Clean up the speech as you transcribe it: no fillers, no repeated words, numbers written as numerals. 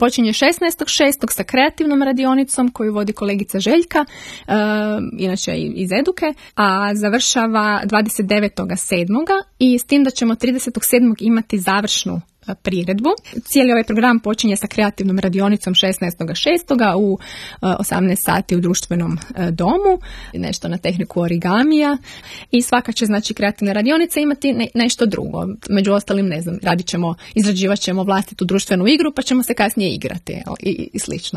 Počinje 16.6. sa kreativnom radionicom koju vodi kolegica Željka, inače iz Eduke, a završava 29.7. i s tim da ćemo 30.7. imati završnu priredbu. Cijeli ovaj program počinje sa kreativnom radionicom 16.6. u 18 sati u društvenom domu, nešto na tehniku origamija i svaka će znači kreativna radionica imati nešto drugo. Među ostalim, ne znam, izrađivat ćemo vlastitu društvenu igru pa ćemo se kasnije igrati i slično.